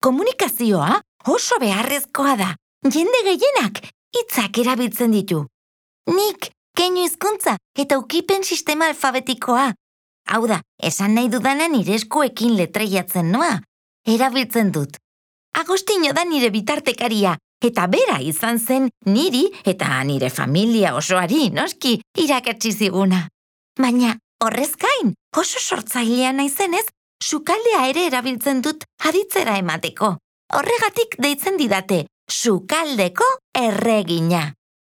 Komunikazioa oso beharrezkoa da. Jende gehienak hitzak erabiltzen ditu. Nik keinu hizkuntza eta ukipen sistema alfabetikoa. Hau da, esan nahi dudana nire eskuekin letreiatzen noa. Erabiltzen dut. Agostino da nire bitartekaria, eta bera izan zen niri eta nire familia osoari noski irakatsi ziguna. Baina horrez gain, oso sortzailea naizenez, sukaldea ere erabiltzen dut aditzera emateko. Horregatik deitzen didate, sukaldeko erregina.